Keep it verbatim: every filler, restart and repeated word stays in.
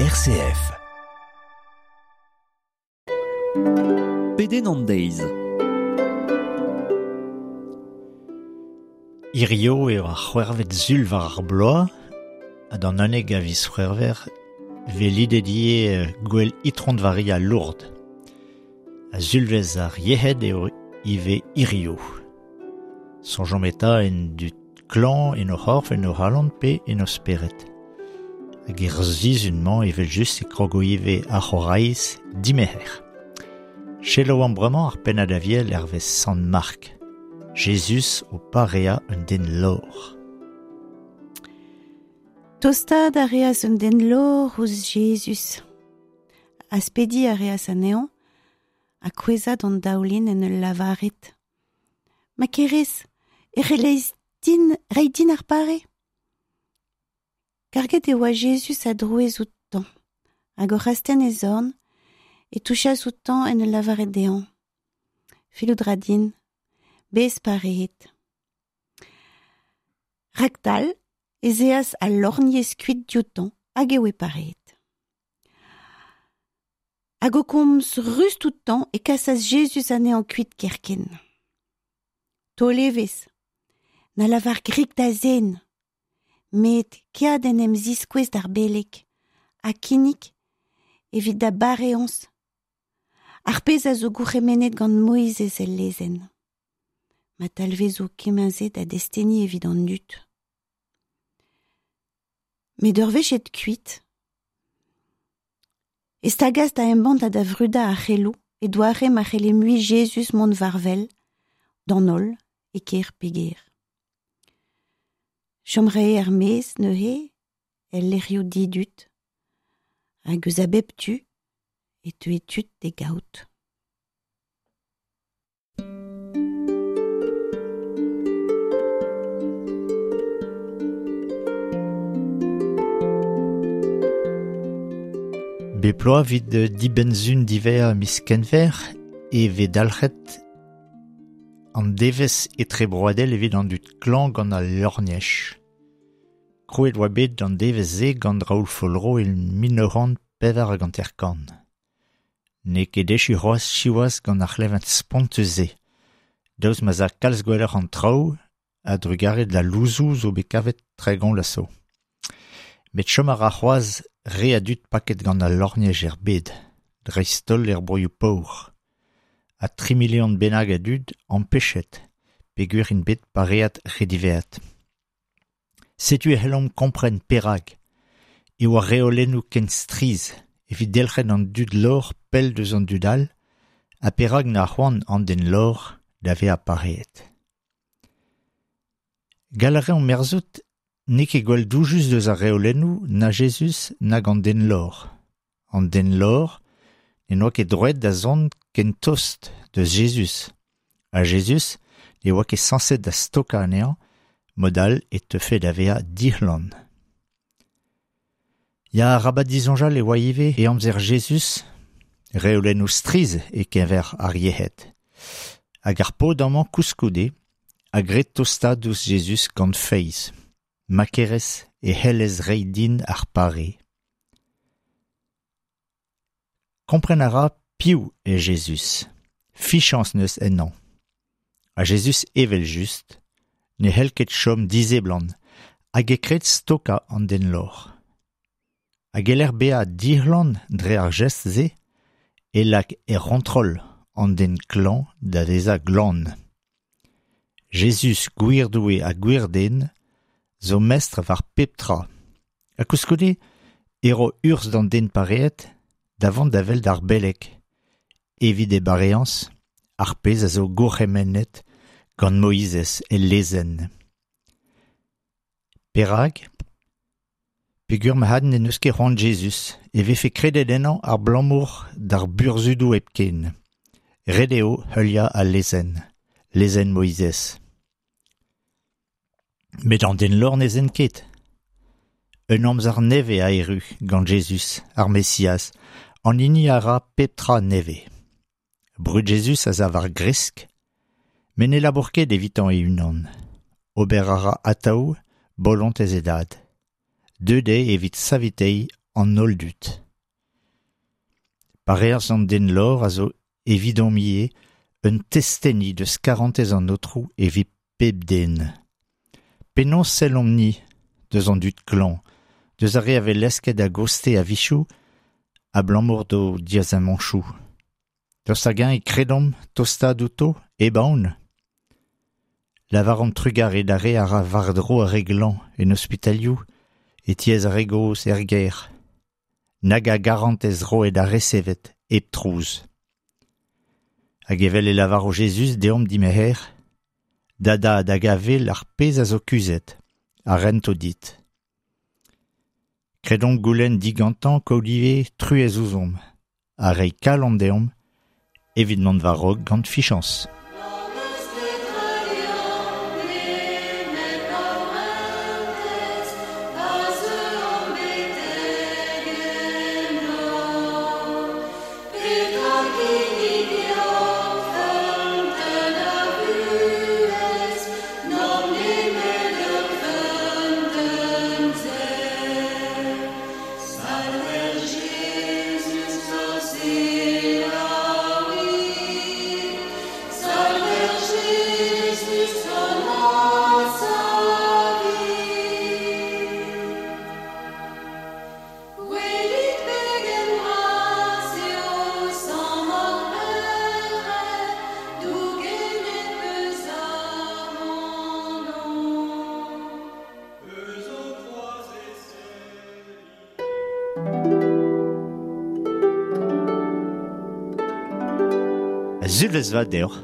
R C F. Pedenn an deiz. Hirio eo ar c'hwec'hvet sul war ar bloaz, ha d'an unnek a viz C'hwevrer vez lidet ivez gwell Itron Varia Lourdes. Ha sulvezh ar yec'hed eo ivez hirio. Soñjomp eta en dud klañv en o c'horf, en o c'halon pe en o spered. Hag er sizhun-mañ evel-just e krogo ivez ar c'horaiz dimerc'her. Selaou bremañ ar pennad aviel hervez Sant Mark. Jezuz o pareañ un den lor. Tostaat a reas un den lor ouzh Jezuz. Aspediñ a reas anezhañ ha kouezhañ d'an daoulin en ul lavaret. Ma kerez, e c'hellez din, reiñ din ar pare. Karget e oa Jezuz a druez outañ, hag oc'h astenn e zorn, e touchas outañ en ul lavaret dezhañ. Fellout 'ra din, bez pareet. Raktal ez eas al lorgnez kuit dioutañ hag e oe pareet. Hag o komz rust outañ e kasas Jezuz anezhañ kuit kerkent. Taol evezh, na lavar grik da zen, met kea d'en em ziskouez d'ar beleg, ha kinnig evit da bareañs. Ar pezh a zo gourc'hemennet gant Moizez el lezenn. Ma talvezo kement-se da desteni evit an dud. Met ur wech aet kuit, e stagas da embann ha da vrudañ ar c'heloù e doare ma c'helle mui Jezuz mont war-wel, d'an holl, e kêr pe gêr. Chom 'rae er-maez neuze, el lec'hioù didud, hag eus a bep tu e teue tud d'e gaout. Bep bloaz evit dibenn-sizhun diwezhañ miz Kenver e vez dalc'het an devezh etrebroadel evit an dud klañv gant al lorgnez. Krouet oa bet an devezh-se gant Raoul Follereau e mil nav c'hant pevar hag hanter-kant. N'eo ket echu c'hoazh siwazh gant ar c'hleñved spontus-se. Daoust ma'z a kalz gwelloc'h an traoù a drugarez da louzoù zo bet kavet tregont vloaz zo. Met chom a ra c'hoazh re a dud paket gant al lorgnez er bed, dreist-holl er broioù paour. Ha tri milion bennak a dud ampechet, peogwir int bet pareet re diwezhat. Setu e c'hellomp kompren perak e oa reolennoù ken strizh evit delc'hen an dud lor pell deus an dud all, ha perak na c'hoant an den lor da vezañ pareet. Gall a reomp merzout n'eo ket gwall doujus deus ar reolennoù na Jezuz nag an den lor. An den lor ne oa ket droet da zont ken tost deus Jezuz. Ha Jezuz ne oa ket sañset da stokañ anezhañ, mod all e teufe da vezañ dic'hlan. Ya arabat disoñjal e oa ivez e amzer Jezuz, reolennoù strizh e-keñver ar yec'hed. Hag ar paotr amañ koulskoude a gred tostaat ouzh Jezuz gant feiz. Ma kerez e c'hellez reiñ din ar pare. Kompren a ra piv eo Jezuz. Fichañs neus ennañ. Ha Jezuz evel-just ne c'hell ket chom diseblant hag e kred stokañ an den lor. Hag e-lec'h bezañ dic'hlan dre ar gest-se e lak er c'hontrol an den klañv da vezañ glan. Jezuz gwir Doue ha gwir den zo mestr war pep tra. Ha koulskoude e ro urzh d'an den pareet da vont da wel d'ar beleg, evit e bareañs, ar pezh a zo gourc'hemennet gant Moizez el lezenn. Perak? Peogwir ma n'en deus ket c'hoant Jezuz e vefe kredet ennañ ar blamour d'ar burzhudoù hepken. Ret eo heuliañ al lezenn, lezenn Moizez. Met an den lor ne zen ket. Un amzer nevez a erru gant Jezuz, ar Mesiaz, an hini a ra pep tra nevez. Brud Jezuz a za war gresk, met ne labour ket evitañ e-unan. Ober a ra atav bolontez e dad. Deuet eo evit saveteiñ an holl dud. Pareañs an den lor a zo evidomp ivez un testeni deus karantez an Aotrou evit pep den. Penaos sellomp-ni deus an dud klañv, deus ar re a vez lesket a-goste a-wechoù abalamour d'o diaezamantoù. Daoust hag-eñ e kredomp tostaat outo, hep aon. Lavaromp trugarez d'ar re a ra war-dro ar re glañv en ospitalioù, e tiez ar re gozh er gêr. Nag a garantez roet ha resevet hep trouz. Hag evel e lavaro Jezuz deomp dimerc'her, da dad hag a wel ar pezh a zo kuzhet, a rento dit. Kredomp goulenn digantañ kaout ivez truez ouzhomp, ha reiñ kalon deomp evit mont war-raok gant fiziañs. Sulvezh vat deoc'h.